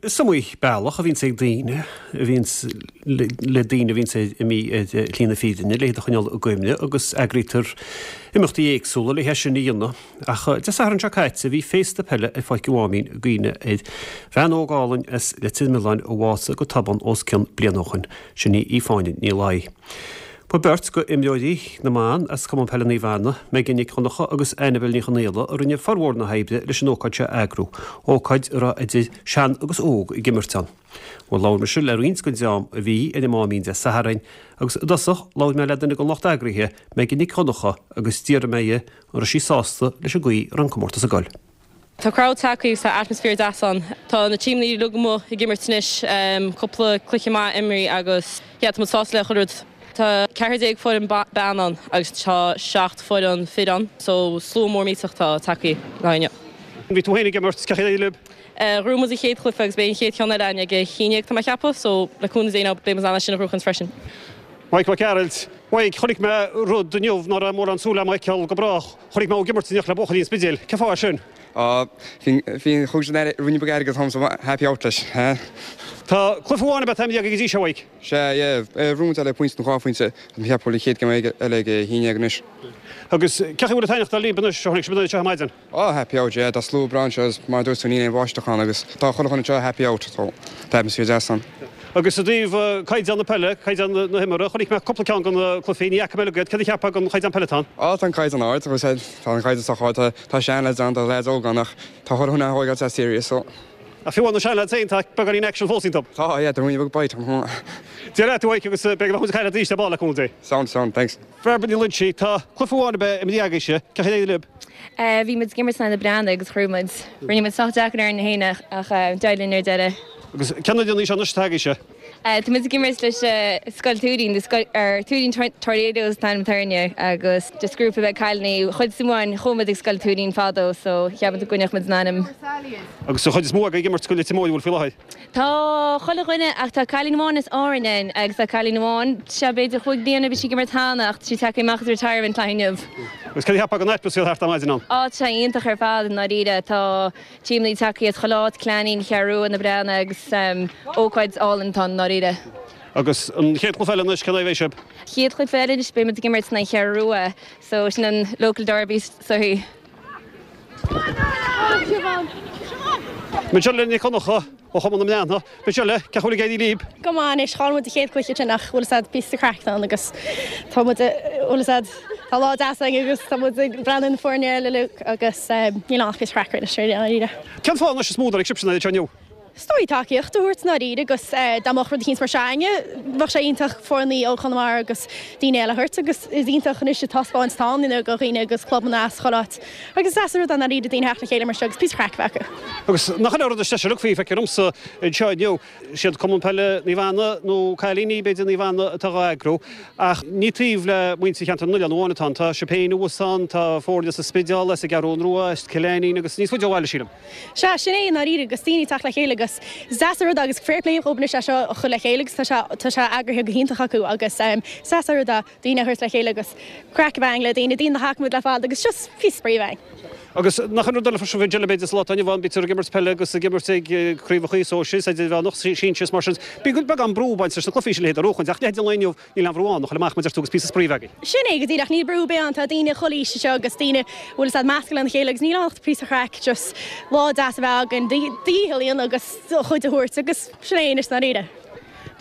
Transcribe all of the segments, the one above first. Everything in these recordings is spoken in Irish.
Is iomaí bealach a bhíonns ag daoine, a bhíonns le daoine a bhíonns imithe ar shlí na fírinne, le hiad a choinneáil i gcuimhne agus eagraítear imeachtaí éagsúla le hé sin a dhéanamh. Ach Dé Sathairn seo caite bhí féasta peile ar Pháirc an Mháimín i gcuimhne ar bhean óg álainn as Leitir Mealláin a bhásaigh go tobann os cionn bliain ó shoin, sin í Fáinne Ní Laoi. Ba beirt go imreoirí na mban as Cumann Peile Naomh Anna, Megan Nic Dhonncha agus Annabel Ní Chonaola a rinne formhór na hoibre leis an ócáid seo a eagrú, ócáid a raibh idir sean agus óg ag imirt ann. Bhuel labhair mise le roinnt den dream a bhí ar an Máimín Dé Sathairn agus i dtosach labhair mé le duine den lucht eagraithe, Megan Nic Dhonncha agus d'fhiafraigh mé dhi an raibh sí sásta leis an gcaoi a raibh an comórtas ag goil. Tá crowd tagtha agus tá atmaisféar deas ann. Tá na tímeanna uilig amuigh ag imirt anois, cúpla cluiche maith imrithe agus yeah tá muid sásta le chuile rud. Tá 14 foireann bean ann agus tá 7 foireann fir ann so slua mór millteach atá tagtha le haghaidh inniu. Bhí tú féin ag imirt, cén chaoi ar éirigh libh? Ghnóthaigh muid an chéad chluiche agus beidh an chéad cheann eile againn ag a haon dhéag tá mé ag ceapadh so le cúnamh Dé now beidh muid in ann é sin a ghnóthachaint freisin. Mike Mac Gearailt, Mike, chonaic mé rud inniu ná raibh mórán súil agam a fheiceáil go brách. Chonaic mé thú ag imirt in éineacht le buachaillí an Spidéil. Cén fáth é sin? Á, bhí, bhí, chuaigh sin ar, ruainne beag airgid agam so happy out leis, ha? Tá cluiche amháin ab ea imeartha agaibh go dtí seo, Mike? Sea, yeah, bhuaigh muid le pointe nó dhá phointe, tá mé ag ceapadh go bhfuil an chéad game eile ag a haon dhéag anois. Agus cén chaoi a bhfuil an t-aoinneach dul libh anois, ó tháinig sibh anseo ar maidin? Á, happy out, yeah, tá slua breá anseo agus mar a dúirt tú níl aon bháisteach ann agus tá chuile dhuine anseo happy out, so tá atmaisféar deas ann. Agus i dtaobh caighdeán na peile, caighdeán na himeartha, chonaic mé cúpla ceann de na cluichí, ní fhaca mé uilig iad, céard a cheapfá den chaighdeán peile atá ann? Á, tá an caighdeán ard, as I said, tá an caighdeán sách ard, tá, tá sean-lads ann, tá lads óga ann ach tá chuile dhuine á thógáil sách serious, so. Ach fiú amháin na sean-lads féin, tá beagáinín action fós iontu. Tá, yeah, tá ruainne beag bite ann. Dia leat, a Mhaidhc, agus beidh muid ag caint leat arís ar ball le cúnamh Dé. Sound, sound, thanks. Bhairbre Ní Loinsigh, Tá cluiche amháin ab ea imeartha agaibhse, cén chaoi ar éirigh libh? Bhí muid ag imirt in aghaidh na Breathnaigh agus ghnóthaigh muid. Rinne muid sách deacair orainn féin ach d'éirigh linn ar deireadh. Agus cén fhoireann í seo anois atá agaibhse? Tá muid ag imirt leis Scoil Tuairín, the scoil, or Tuairín Tornadoes an t-ainm atá orainne agus just grúpa beag cailíní. Chuid is mó againn chuaigh muid ag Scoil Tuairín fadó so cheap muid go gcoinneodh muid an ainm. Agus an chuid is mó agaibh ag imirt do Leitir Móir an bhfuil faoi láthair? Tá chuile dhuine ach tá cailín amháin as Árainn ann agus tá cailín amháin, sea b'fhéidir chúig bliana bhí sí ag imirt cheana ach tá sí tagtha amach as retirement le haghaidh inniu. Agus céard a cheapfá den atmaisféar thart ar maidin ann? Á tá sé iontach ar fad i ndáiríre. Tá tímeanna tagtha as chuile áit, Cill Ainnín, Cheathrú Rua, Na Breathnaigh agus ócáid álainn atá ann i ndáiríre. Agus an chéad chluiche eile anois, cén aghaidh a bheidh sibh? Chéad chluiche eile anois beidh muid ag imirt in aghaidh Cheathrú Rua so sin an local derby is dóichí. Michelle Nic Dhonncha ó Chumann na mBreathnach. Michelle, cén chaoi a bhfuil ag éirí libh? Go maith anois, chaill muid an chéad cluiche sin ach bhfuil fhios a'd píosa craic ann agus tá muid, bhfuil fhios a'd, tá lá deas againn agus tá muid ag breathnú ar na foirne eile uilig agus níl ann ach píosa craic anois i ndáiríre. Cén fáth anois is mó a dtáinig sibhse anseo inniu? Is dóigh tacaíocht a thabhairt i ndáiríre agus dá mbeadh rud eicínt mar seo againne bheadh sé iontach foirne ó Chonamara agus daoine eile a thabhairt agus is iontach anois an taispeáint atá ann you know do dhaoine agus clubanna as chuile áit agus is deas an rud é i ndáiríre daoine a theacht le chéile mar seo agus píosa craic a bheith acu. Agus nach in é an rud is deise uilig faoi, feictear domsa anseo inniu, siad Cumann Peile Naomh Anna nó cailíní b'fhéidir Naomh Anna atá dhá eagrú ach ní taobh le muintir Cheantar na nOileán amháin atá ann, tá sibh féin thuas ann, tá foirne as an Spidéal, as an gCeathrú Rua, as Cill Ainnín agus níos faide ó bhaile sílim. Sea, sin é i ndáiríre, agus daoine ag teacht le chéile agus is deas an rud é agus fair play dhóibh anois é seo a chur le chéile agus tá sé, tá sé eagraithe go hiontach acu agus is deas an rud é daoine a thabhairt le chéile agus craic a bheith againn le daoine, daoine nach bhfaca muid le fada agus just píosa spraoi a bheith againn. Agus nach an rud eile freisin faoin b'fhéidir sa lá atá inniu ann, bítear ag imirt peile agus ag imirt ag craobhacha sóisir is idirmheánach, sinsir is mar sin. Bíonn beagán brú ag baint leis na cluichí sin a leithéid a bhuachaint ach leithéid an lae inniu, Níl aon bhrú ann, a ghoil amach mar a deir tú agus píosa spraoi a bheith againn. Sin é go díreach, níl brú ar bith ann, tá daoine chuile aois anseo agus daoine a bhfuil fhios a'd measctha lena chéile agus níl ann ach píosa craic, just lá deas a bheith againn, do dhícheall a dhéanamh agus do chuid a thabhairt agus sin é anois i ndáiríre.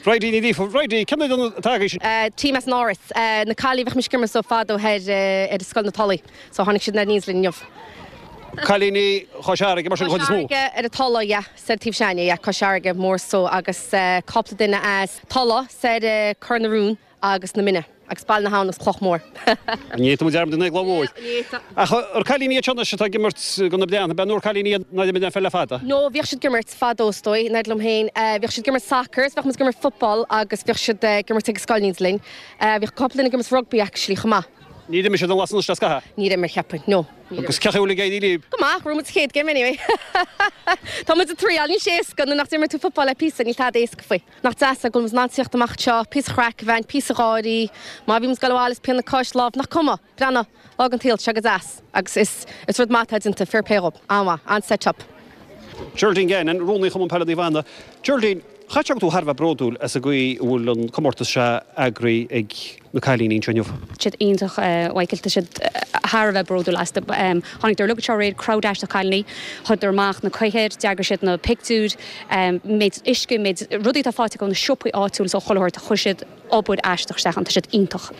Bridie Ní Ghríofa, Bridie, cén fhoireann atá agaibh? Team as an Áras, na cailíní a bheadh mise ag imirt leo fadó thoir ar Scoil na Tulaí, so tháinig siad aníos linn inniu. Cailíní Chois Fharraige mar sin an chuid is mó? Cois Fharraige ar an Tulaigh, yeah. Soir taobh s'againne, yeah, Cois Fharraige more so agus cúpla duine as Tulach, soir Cor na Rún agus na Minna agus Baile na hAbhann agus Cloch Mhór. Ní fhéadfadh muid dearmad ar an Chloch Mhóir. Ach ar cailíní iad seo anois atá ag imirt do na Breathnaigh, ab ea nó ar cailíní iad nár imir aon pheil le fada? No, bhíodh siad ag imirt fadó is dóigh, in éineacht liom féin. Bhíodh siad ag imirt soccer is bheadh muid ag imirt football agus bhíodh siad ag imirt ag an scoil in éineacht linn. Bhíodh cúpla duine ag imirt rugby actually chomh maith. Níor imir siad an lá san anois le scaitheamh? Níor imir, cheapfainn, no. Agus cén chaoi a bhfuil ag éirí libh? Go maith, bhuaigh muid sa chéad game anyway. Tá muid ag triail, níl sé éasca, nuair nach d'imir tú football le píosa, níl tada éasca faoi. Nach deas é go bhfuil muid in ann tíocht amach anseo, píosa chraic a bheith againn, píosa gáirí, má bhí muid ag dul abhaile is pian na cois, lámh, nach cuma! Breathnaigh, lá den tsaol, tá sé go deas. Agus is, is rud maith atá déanta, fair play dhób, an-mhaith, an-set up. Geraldine Gannon, Rúnaí Chumann Peile Naomh Anna. Geraldine, chaithfeadh sé go bhfuil tú thar a bheith bródúil as an gcaoi a bhfuil an comórtas seo eagraithe ag na cailíní anseo inniu. Tá siad iontach, a Mhichael, tá siad thar a bheith bródúil astu. Tháinig uilig anseo aréir, crowd aisteach cailíní, chuireadar amach na cathaoir, d'eagraigh siad na pictiúir, méid uisce, méid rudaí atá faighte acu ó na siopaí áitiúil is ó chuile shórt, chuir siad obair aisteach isteach ann, tá siad iontach.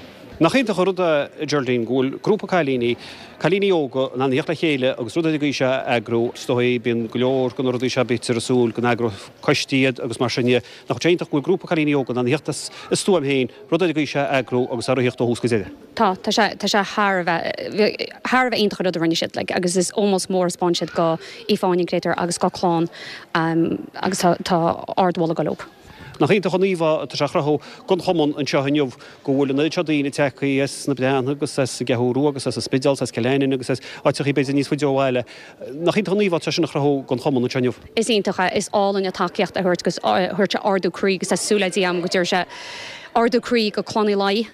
Nach iontach an rud é, a Geraldine, go bhfuil grúpa cailíní, cailíní óga, in ann a theacht le chéile agus rud ar an gcaoi seo a eagrú. Is dóigh, bíonn go leor de na rudaí seo, bítear ag súil go n-eagróidh coistí iad agus mar sin de. Nach bhfuil sé iontach go bhfuil grúpa cailíní óga in ann a theacht as a stuaim féin, rud ar an gcaoi seo a eagrú agus a rith ó thús go deireadh. Tá, tá sé, tá sé thar a bheith, thar a bheith iontach an rud a rinne siad, like, agus is ómós mór a 'spáin siad do Aoife Áine an créatúr agus dá clann, agus tá, tá ardmholadh ag dul leo. Nach iontach an íomhá atá sé a chruthú don chumann anseo inniu go bhfuil an oiread seo daoine tagtha as na Breathnaigh agus as an gCeathrú Rua agus as an Spidéal agus as Cill Aininn agus as áiteachaí b'fhéidir níos faide ó bhaile. Nach iontach an íomhá atá sé sin a chruthú don chumann anseo inniu. Is iontach é. Is álainn an tacaíocht a thabhairt agus thabhairt sé ardú croí agus tá súil ag Dia agam go dtabharfaidh sé ardú croí go Clann Uí Laoi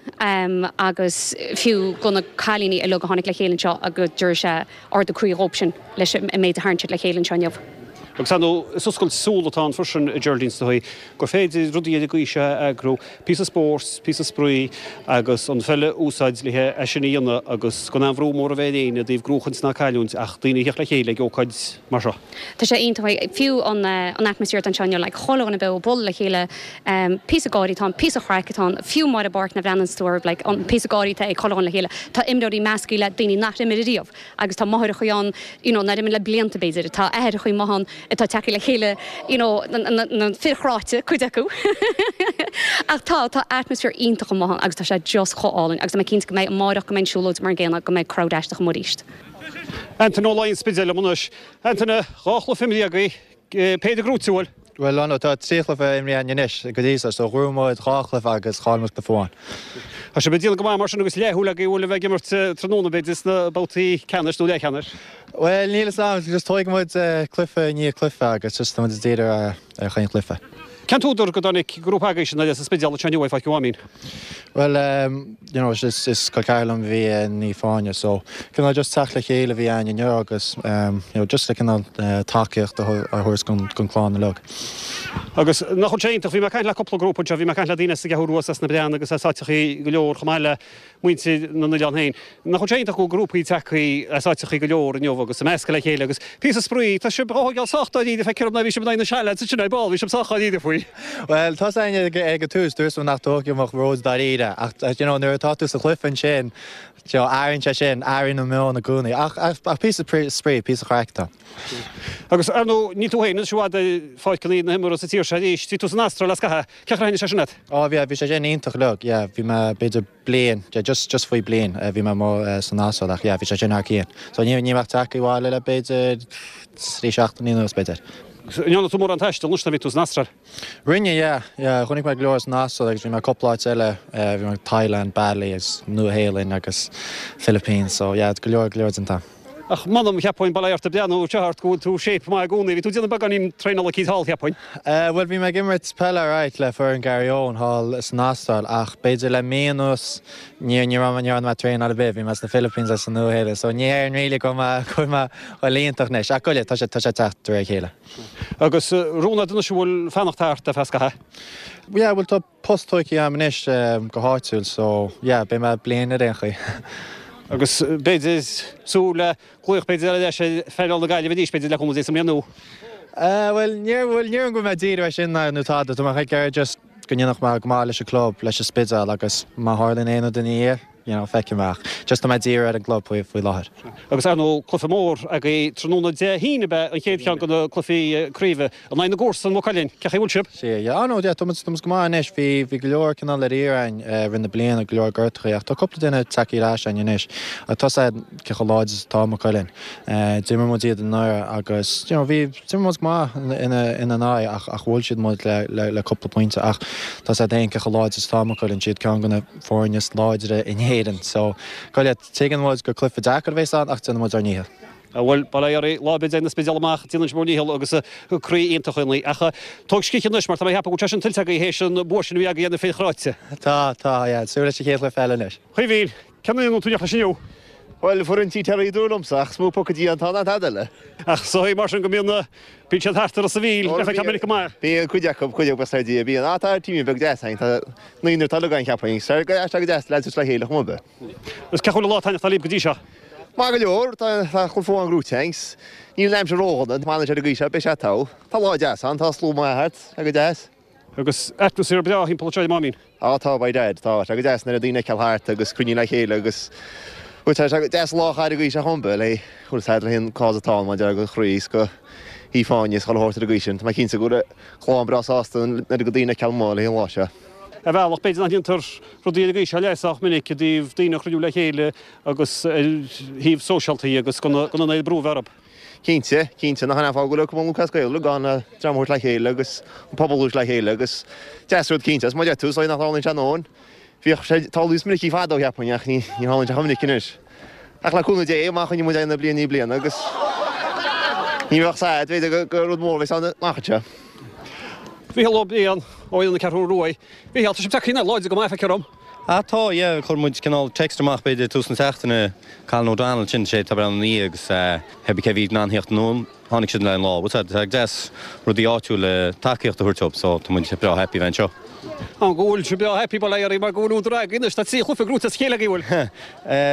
agus fiú go na cailíní uilig a tháinig le chéile anseo go dtabharfaidh sé ardú croí dhóibhsean leis an méid a tharraing siad le chéile anseo inniu. Agus ar ndóigh, is oscailt súl atá ann freisin, a Geraldine, is dóigh, gur féidir rudaí ar an gcaoi seo a eagrú, píosa spóirt, píosa spraoi agus an pheil a úsáid le é sin a dhéanamh agus gan aon bhrú mór a bheith ar éinne i dtaobh gnóchaint ná cailliúint ach daoine a theacht le chéile ag ócáid mar seo. Tá sé iontach, fiú an atmaisféar atá anseo inniu, like chuile dhuine beo, bualadh le chéile, píosa gáirí atá ann, píosa chraic atá ann, fiú amuigh i bPáirc na bhreathnaíonn tú orthu, like an píosa gáirí atá ag chuile dhuine le chéile. Tá imreoirí measctha le daoine nach imir ariamh. Agus tá máithreachaí ann you know nár imir le blianta b'fhéidir, tá aithreachaí maith ann atá tagtha le chéile you know na fir chráite, cuid acu. Ach tá, tá atmaisféar iontach amuigh ann agus tá sé just chomh álainn agus tá mé cinnte go mbeidh amáireach go mbeidh an siúlóid mar an gcéanna, go mbeidh crowd aisteach amuigh arís. Antaine Ó Laoi an Spidéil liom anois. Antaine, 2 chluiche imrithe agaibh, Péire gnóite, an bhfuil? Bhuel, no, tá 3 chluiche imrithe againn anois go dtí seo, so ghnóthaigh muid 2 chluiche agus chaill muid cluiche amháin. Tá sibh ag déanamh go maith mar sin agus leathshúil agaibh bhfuil a bheith ag imirt tráthnóna b'fhéidir sna babhtaí ceannais nó leathcheannais? Bhuel, níl fhios agam, just tógfaidh muid cluiche i ndiaidh cluiche agus just tá muid ag díriú ar chaon chluiche. Cén t-údar go dtáinig grúpa agaibhse as an Spidéal anseo inniu ag Páirc an Mháimín? Bhuel, you know, is is col ceathar liom a bhí i Naomh Fáinne so cineál just teacht le chéile a bhí ann inniu agus you know just le cineál tacaíocht a thabhairt don don clann uilig. Agus nach bhfuil sé iontach, bhí mé ag caint le cúpla grúpa anseo, bhí mé ag caint le daoine as an gCeathrú Rua, as na Breathnaigh agus as áiteachaí go leor chomh maith le muintir na n-oileán féin. Nach bhfuil sé iontach go bhfuil grúpaí tagtha as áiteachaí go leor inniu agus ag meascadh le chéile agus píosa spraoi, tá sibh á thógáil sách dáiríre, feictear dom ná bhí sibh in aghaidh na Sealads ansin ar ball, bhí sibh sách dáiríre faoi. Bhuel, tá 's againn ag an tús, dúirt mé nach dtógfaidh muid ródháiríre ach you know nuair atá tú sa chluiche ansin, you know, athraíonn sé sin, athraíonn an meon i gcónaí ach ach píosa spraoi, píosa craic atá. Agus ar ndóigh, níl tú féin anois i bhfad ar pháirceanna na himeartha sa tír seo arís, bhí tú san Astráil le scaitheamh, cén chaoi ar thaitnigh sé sin leat? Ó bhí, bhí sé sin iontach uilig, yeah, bhí mé b'fhéidir bliain, yeah, just, just faoi bliain bhí mé amuigh san Astráil ach yeah, bhí sé sin thar cionn. So ní, ní bheadh tagtha abhaile le b'fhéidir 3 seachtainí anuas b'fhéidir. An ndearna tú mórán taistil anois nuair a bhí tú san Astráil? Rinne, yeah, yeah, chonaic mé go leor san Astráil agus bhí mé cúpla áit eile, bhí mé Thailand, Bali agus Nua Shéalainn agus Philippines, so yeah, go leor, go leor déanta. Ach m'anam, cheapfainn, bail ó Dhia ort ag breathnú anseo ort go bhfuil tú shape maith i gcónaí. Bhí tú ag déanamh beagáinín traenála eicínt thall, cheapfainn. Bhuel, bhí mé ag imirt peile alright le foireann Garryowen thall san Astráil ach b'fhéidir le mí anuas ní ní raibh mé ní raibh mé ag traenáil ar bith. Bhí mé sna Philippines agus sa Nua-Shéalainn so ní déarfainn really go mbeidh go bhfuil mé bhuel iontach anois ach goile tá sé tá sé ag teacht de réir a chéile. Agus rún agat anois an bhfuil fanacht thart ar feadh scaithimh? Yeah, bhuel tá post tógtha agam anois go háitiúil so yeah beidh mé bliain ar aon chaoi. Agus b'fhéidir súil le glaoch b'fhéidir ar ais ar phainéal na Gaillimhe arís b'fhéidir le cúnamh Dé sa mbliain nua. Bhuel níor bhuel ní déarfainn go bhfuil mé ag díriú air sin nó tada tá mé ag iarraidh just go ndéanfadh mé go maith leis an club leis an Spidéal agus má tharlaíonn aon rud ina dhiaidh you know feicfidh mé ach just tá mé ag díriú ar an gclub faoi faoi láthair. Agus ar ndóigh cluiche mór agaibh tráthnóna Dé hAoine ab ea an chéad cheann de na cluichí craoibhe in aghaidh na gcomharsan Maigh Cuilinn. Cén chaoi a bhfuil sibh? Sea, yeah, oh no, yeah, tá muid, tá muid go maith anois. Bhí, bhí go leor cineál ar iarraidh againn i rith na bliana, go leor gortachaí, ach tá cúpla duine tagtha ar ais againn anois. Ach tá 's a'd cé chomh láidir is atá Maigh Cuilinn. D'imir muid iad anuraidh agus, you know, bhí, d'imir muid go maith ina, ina n-aghaidh ach, ach bhuail siad muid le, le, le cúpla pointe. Ach tá 's a'd féin cé chomh láidir is atá Maigh Cuilinn, siad ceann de na foirne is láidre in Éirinn. So, goile, tuigeann muid gur cluiche deacair a bheas ann ach déanfaidh muid ár ndícheall. Bhuel, bail ó Dhia oraibh, lá ar bith a dtéann an Spidéal amach, déanann sibh bhur ndícheall agus croí iontach ionaibh. Ach tóg scíth anois mar tá mé ag ceapadh go bhfuil sé sin tuillte agaibh théis an bua sin a bhí agaibh ar na fir chráite. Tá, tá, yeah. Súil leis an chéad chluiche eile anois. Caoimhín, cén fhoireann a bhfuil tú ag féachaint leis inniu? Bhuel, foireann Tí Terry a dúradh liomsa, ach is mó pocaidí atá ná tada eile. Ach is dóigh mar sin go mbíonn na, bíonn siad thart ar Ros an Mhíl le feiceáil minic go maith. Bíonn cuid acu, cuid acu buíochas le Dia, bíonn. Á tá team beag deas againn, tá naonúr uilig againn cheapfainn. Tá sé go deas leaids le chéile chomh maith. Agus cén chaoi a bhfuil an lá taitneamhachta libh go dtí seo? Maith go leor, tá cluiche amháin gnóite againn. Níl an aimsir ródhona, má fhanann sé ar an gcaoi seo beidh sé togha. Tá lá deas ann, tá slua maith thart, tá go deas. Agus atmaisféar breá thimpeall anseo ag an Máimín. Á tá, by dad, tá. Tá go deas an oiread daoine a fheiceáil thart agus cruinniú le chéile agus, bhuel, tá sé go deas lá a chaitheamh ar an gcaoi seo chomh maith le, bhuel, is le an cás atá ann maidir le chroí is go hAoife Áine is chuile shórt ar an gcaoi sin. Tá mé cinnte go bhfuil a clann breá sásta an oiread go daoine a fheiceáil amuigh le an lá seo. Ar bhealach, b'fhéidir nach ndéantar rudaí ar an gcaoi seo le sách minic i dtaobh daoine a chruinniú le chéile agus ar thaobh sóisialta agus gan an oiread brú a bheith orthu. Cinnte, cinnte, nach in é an fáth go bhfuil Cumann Lúthchleas Gael uilig ann, le dream a thabhairt le chéile agus an pobal a thabhairt le chéile agus deas rud cinnte, agus mar a deir tú, is dóigh nach dtarlaíonn sé a ndóthain. Bhíodh sé ag tarlú níos minicí fadó, cheapfainn, ach ní tharlaíonn sé chomh minic anois. Ach le cúnamh Dé, má choinníonn muid é na bliain i ndiaidh bliana agus ní bheadh sad, b'fhéidir gur rud mór a bheas ann amach anseo. Mícheál Ó Briain, ó fhoireann na Ceathrún Ruaidh. Mhícheál, tá sibh tagtha láidir go maith, feictear dom. Ah tá, yeah, chuir muid cineál text amach b'fhéidir tús na seachtaine, Colin O'Donnell, sin sé atá ag breathnú ina dhiaidh agus pé cé bhí in ann theacht anonn, tháinig siad le an lá. Bhuel tá sé deas rudaí áitiúil tacaíocht a thabhairt dóibh so tá muid breá happy bheith anseo. An go bhfuil sibh breá happy bail ó Dhia oraibh mar go bhfuil údar agaibh anois, tá 3 chluiche gnóite as a chéile agaibh, bhfuil?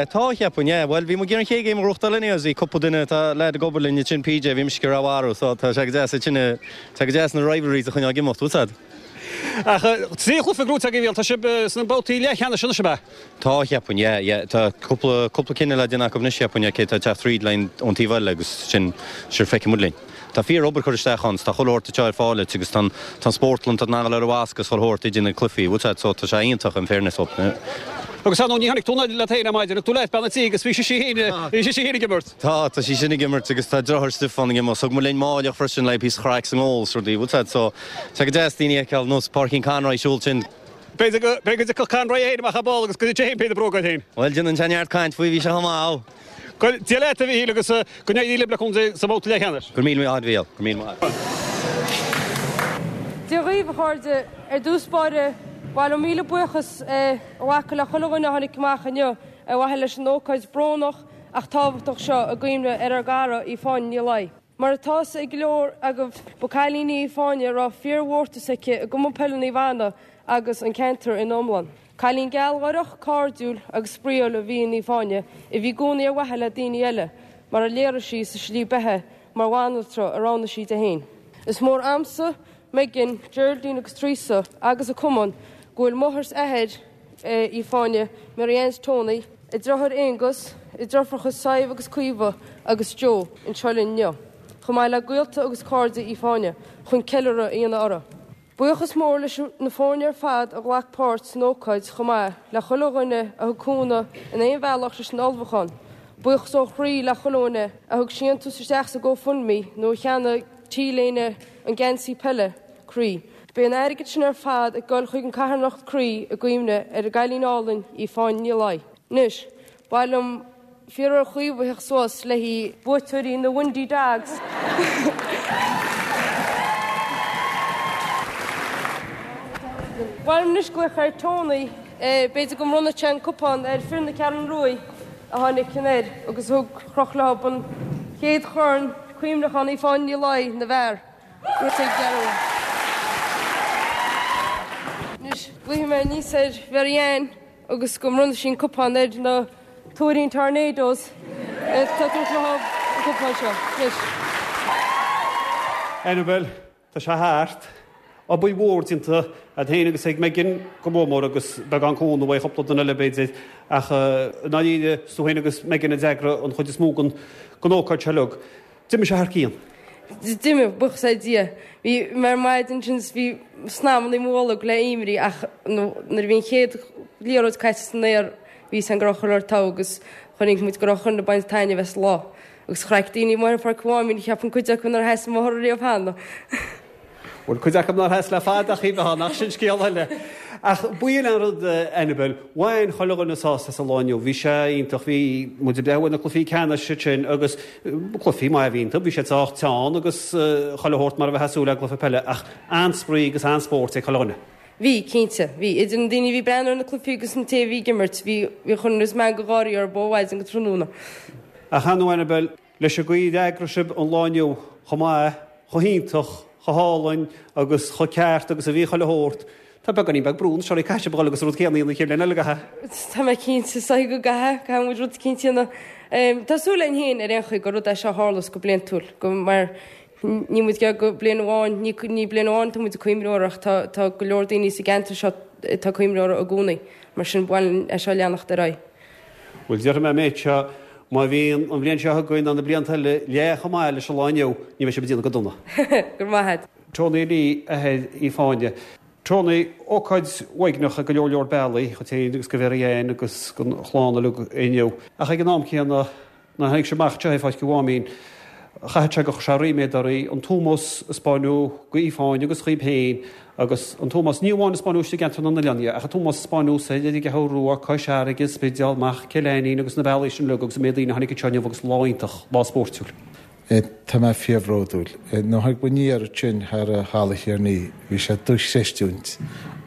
Tá, cheapfainn, yeah. Bhuel bhí muid ag iarraidh an chéad game a ghnóthachtáil anyways, bhí cúpla duine, tá leaid ag obair linn ansin, PJ, bhí mise ag iarraidh a mharú so tá sé go deas, sin, tá go deas na rivalries a choinneáil ag imeacht, bhfuil 's a'd. Ach 3 chluiche gnóite agaibh, tá sibh sna babhtaí leathcheannais anois, ab ea? Tá, cheapfainn, yeah, yeah. Tá cúpla, cúpla cinneadh le déanamh acu anois, cheapfainn, cé atá ag teacht thríd linn ón taobh eile agus sin, sure, feicfidh muid linn. Tá fíor obair curtha isteach ann, tá chuile shórt anseo ar fáil duit agus tá an, tá an spórtlann, tá an eagla ar an mhasc agus chuile shórt idir na cluichí, bhfuil 's a'd, so tá sé iontach in fairness dóibh. Agus ar ndóigh ní tháinig tú leat féin ar maidin, thug tú leat bean an tí agus bhí sise féin, bhí sise féin ag imirt. Tá, tá sí sin ag imirt agus tá deartháir Stiofán ag imirt. Thug muid linn Máilleach freisin le píosa chraic sa ngól is rudaí, bhfuil 's a'd, so tá go deas daoine a fheiceáil nós Páircín Conroy ag siúl sin. B'fhéidir go, b'fhéidir go dtiocfadh Conroy é féin amach ar ball agus go dtitfeadh sé féin píosa bróg air féin. Bhuel, déanann sé neart caint faoi, bhí sé chomh maith. Go Dia leat a Mhíchíl agus go n-éirí libh le cúnamh Dé sa mbabhta leathcheannais. Go raibh míle maith agat a Mhícheál, go raibh míle maith agat. Dia dhaoibh, a chairde. Ar dtús báire, ba mhaith liom míle buíochas a ghlacadh le chuile dhuine a tháinig amach inniu ar mhaithe leis an ócáid brónach ach tábhachtach seo i gcuimhne ar ár gcara Aoife Áine Ní Laoi. Mar atá fhios ag go leor agaibh, ba cailín í Aoife Áine a raibh fíor-mhórtas aici i gCumann Peile Naomh Anna agus an ceantar ina iomlán. Cailín gealgháireach, cairdiúil agus spraíúil a bhí in Aoife Áine, a bhí i gcónaí ar mhaithe le daoine eile, mar a léirigh sí sa slí beatha mar bhanaltra a roghnaigh sí di féin. Is mór a'msa, Megan, Geraldine agus Teresa agus a cumann go bhfuil máthair 's athair, Aoife Áine, Mary Ann 's Tony, a deartháir Aonghus, a deirfiúracha Sadhbh agus Caoimhe agus Joe anseo linn inniu, chomh maith le gaolta agus cairde Aoife Áine, chun ceiliúradh a dhéanamh uirthi. Buíochas mór leis na foirne ar fad a ghlac páirt san ócáid chomh maith le chuile dhuine a thug cúnamh in aon bhealach leis an ullmhúchán. Buíochas ó chroí le chuile dhuine a thug síntiús isteach sa GoFundMe nó a cheannaigh T-léine an geansaí peile. Croí. Beidh an airgead sin ar fad ag dul chuig an carthanacht Croí i gcuimhne ar an gcailín álainn Aoife Áine Ní Laoi. Anois, ba mhaith liom iarraidh ar Chaoimhe theacht suas le haghaidh buaiteoirí na Windy Dogs. Ba mhaith liom anois glaoch ar Tony, b'fhéidir go mbronnfaidh sé an cupán ar fir na Ceathrún Ruaidh a tháinig anoir agus a thug chroch leo an chéad chorn cuimhneacháin Aoife Áine Ní Laoi na bhfear. Anois, glaofaidh mé aníos ar Mhary Ann agus go mbronnfaidh sí an cupán ar na Tuairín Tornadoes atá ag tabhairt leo an cupán seo. Anois. Annabel, tá sé thart. Obair mhór déanta agat féin agus ag Megan go mór mór agus beagán cúnamh ó chúpla duine eile b'fhéidir ach i ndáiríre is tú féin agus Megan a d'eagraigh an chuid is mó den ócáid seo uilig. D'imigh sé thar cionn. D'imigh, buíochas le Dia. Bhí mé ar maidin ansin is bhí snaidhmeanna i mo bholg le imní ach nuair a bhí an chéad liathróid caite san aer bhí fhios agam go raibh chuile shórt togha agus chonaic muid go raibh chuile dhuine ag baint taitneamh as an lá. Agus chraic daoine amuigh ar Pháirc an Mháimín, cheapfainn cuid acu nár sheas an bóthar riamh cheana. Bhuel, cuid acu nár sheas le fada ach bheith ann, ach sin scéal eile. Ach b'in an rud, Annabel, bhain chuile dhuine sásamh as an lá inniu. Bhí sé iontach, bhí muid ag breathnú ar na cluichí ceannais ansin agus cluichí maith a bhí iontu, bhí siad sách teann agus chuile shórt mar a bheifeá ag súil le i gcluiche peile ach an-spraoi agus an-spórt ag chuile dhuine. Bhí, cinnte. Bhí. Idir na daoine a bhí ag breathnú ar na cluichí agus an té a bhí ag imirt, bhí, bhí chuile meangadh gáirí orthu ó mhaidin go tráthnóna. Ach ar ndóigh Annabel, leis an gcaoi ar eagraigh sibh an lá inniu, chomh maith, chomh hiontach, chomh hálainn agus chomh ceart agus a bhí chuile shórt, tá beagáinín beag brú anois oraibh, caithfidh sibh a dhul agus an rud céanna a dhéanamh an chéad bhliain eile, an gcaithfidh? Tá mé cinnte, is dóigh go gcaithfidh, caithfidh muid rud eicínt a dhéanamh. Tá súil againn féin ar aon chaoi gur rud é seo a tharlós go bliantúil, go, mar Níl muid ag go bliain amháin, ní ní bliain amháin atá muid ag cuimhniú air ach tá tá go leor daoine sa gceantar seo atá ag cuimhniú air i gcónaí. Mar sin ba mhaith linn é seo a leanacht ar aghaidh. Bhuel, déarfaidh mé an méid seo, má bhíonn an bhliain seo chugainn ná na blianta eile leath chomh maith leis an lá inniu, ní bheidh sibh ag déanamh go dona. Go raibh maith agat. Tony Lee, athair Aoife Áine. Tony, ócáid uaigneach ar go leor leor bealaí, dhuit féin agus do Mhary Ann agus don chlann uilig inniu. Ach ag an am céanna, Nuair a tháinig sé amach anseo ar Pháirc an Mháimín, chaithfeadh sé gur chuir sé ríméad oraibh an t-ómós a 'spáineadh d'Aoife Áine agus dhaoib féin agus an t-ómós, ní amháin a 'spáineadh istigh i gceantar na n-oileán ach an t-ómós a 'spáineadh soir ar an gCeathrú Rua, Cois Fharraige, an Spidéal, amach Cill Ainnín agus na bealaí sin uilig agus an méid daoine a tháinig anseo inniu agus lá iontach, lá spóirtiúil. Tá mé fíorbhródúil. Nuair a tháinig muid aniar ansin thar Halla Thiarnaí, bhí sé dochreistiúint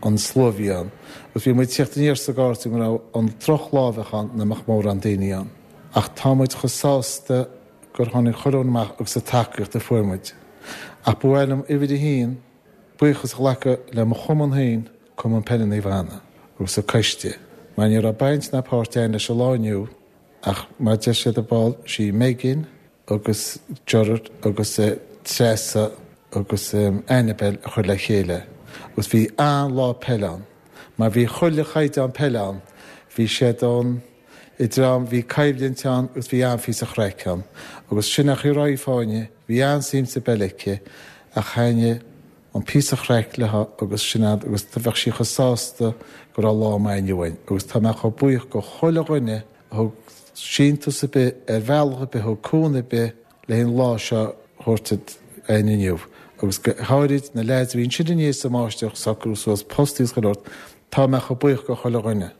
an slua a bhí ann. Agus bhí muid ag tíocht aniar sa gcarr go raibh an drochlá a bheadh ann nach mbeadh mórán daoine ann. Ach tá muid chomh sásta gur tháinig chuile dhuine amach agus an tacaíocht a fuair muid. Ach ba mhaith liom uimhir a haon buíochas a ghlacadh le mo chumann féin, Cumann Peile Naomh Anna, agus an coiste, mar ní raibh baint ná páirt againn leis an lá inniu ach mar deir siad ar ball, sí Megan agus Gerard agus Treasa agus Annabel a chuir le chéile agus bhí an-lá peile ann mar bhí chuile chaighdeán peile ann, bhí siad ann. Idir am, bhí coimhlint ann agus bhí an-phíosa chraic ann. Agus sin é an chaoi a raibh Aoife Áine, bhí an-suim sa bpeil aici ach thaitnigh an píosa chraic léi agus sin é agus bheadh sí chomh sásta go raibh lá maith inniu againn. Agus tá mé chomh buíoch go chuile dhuine a thug síntiús ar bith, ar bhealach ar bith, a thug cúnamh ar bith le an lá seo a thabhairt againn inniu. Agus go háirid na leaids a bhí ansin inné sa mbáisteach ag socrú suas postaí agus chuile shórt, tá mé chomh buíoch go chuile dhuine.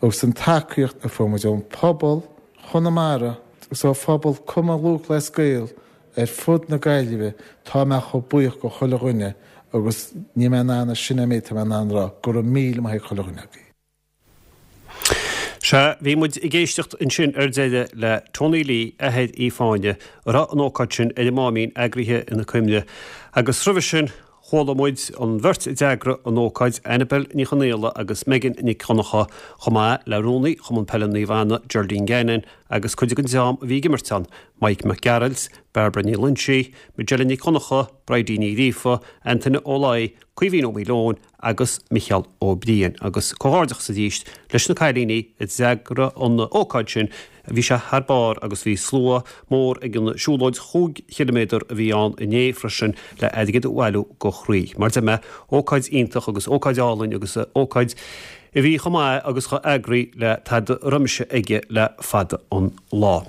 agus an tacaíocht a fuair muid ón phobal Chonamara agus ó phobal Cumann Lúthchleas Gael ar fud na Gaillimhe, tá mé chomh buíoch go chuile dhuine agus níl mé in ann, sin é an méid atá mé in ann a rá, go raibh míle maith ag chuile dhuine agaibh. Sea, bhí muid ag éisteacht ansin ar deireadh le Tony Lee, athair Aoife Áine, a raibh an ócáid sin ar an Máimín eagraithe ina cuimhne, agus roimhe sin, Chuala muid an bheirt a d'eagraigh an ócáid, Annabel Ní Chonaola agus Megan Nic Dhonncha, chomh maith le Rúnaí Chumann Peile Naomh Anna, Geraldine Gannon, agus cuid den dream a bhí ag imirt ann, Mike Mac Gearailt, Barbara Ní Loinsigh, Majella Nic Dhonncha, Bridie Ní Ghríofa, Antaine Ó Laoi, Caoimhín Ó Maoileoin agus Micheál Ó Briain. Agus comhghairdeachas arís leis na cailíní a d'eagraigh an ócáid sin Bhí sé thar barr agus bhí slua mór ag an siúlóid chúig chiliméadar a bhí ann inné freisin le airgead a bhailiú go Chroí. Mar deir mé, ócáid iontach agus ócáid álainn agus ócáid a bhí chomh maith agus chomh eagraithe le tada roimis aige le fada an lá.